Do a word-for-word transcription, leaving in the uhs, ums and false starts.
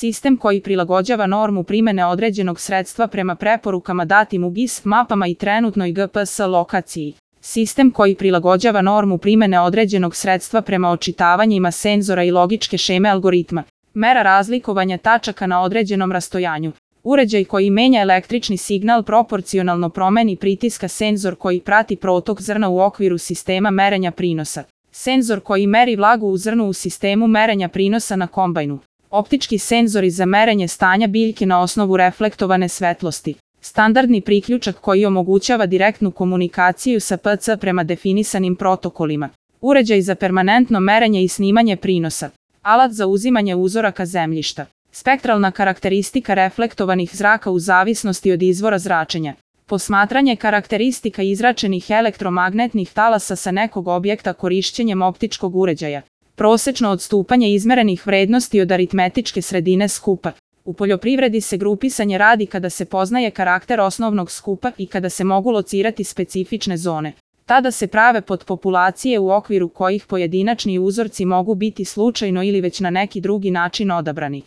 sistem koji prilagođava normu primene određenog sredstva prema preporukama datim u G I S mapama i trenutnoj G P S lokaciji. Sistem koji prilagođava normu primene određenog sredstva prema očitavanjima senzora i logičke šeme algoritma. Mera razlikovanja tačaka na određenom rastojanju. Uređaj koji menja električni signal proporcionalno promeni pritiska, senzor koji prati protok zrna u okviru sistema merenja prinosa. Senzor koji meri vlagu u zrnu u sistemu merenja prinosa na kombajnu. Optički senzori za merenje stanja biljke na osnovu reflektovane svetlosti. Standardni priključak koji omogućava direktnu komunikaciju sa P C prema definisanim protokolima. Uređaj za permanentno merenje i snimanje prinosa. Alat za uzimanje uzoraka zemljišta. Spektralna karakteristika reflektovanih zraka u zavisnosti od izvora zračenja. Posmatranje karakteristika izračenih elektromagnetnih talasa sa nekog objekta korišćenjem optičkog uređaja. Prosečno odstupanje izmerenih vrednosti od aritmetičke sredine skupa. U poljoprivredi se grupisanje radi kada se poznaje karakter osnovnog skupa i kada se mogu locirati specifične zone. Tada se prave podpopulacije u okviru kojih pojedinačni uzorci mogu biti slučajno ili već na neki drugi način odabrani.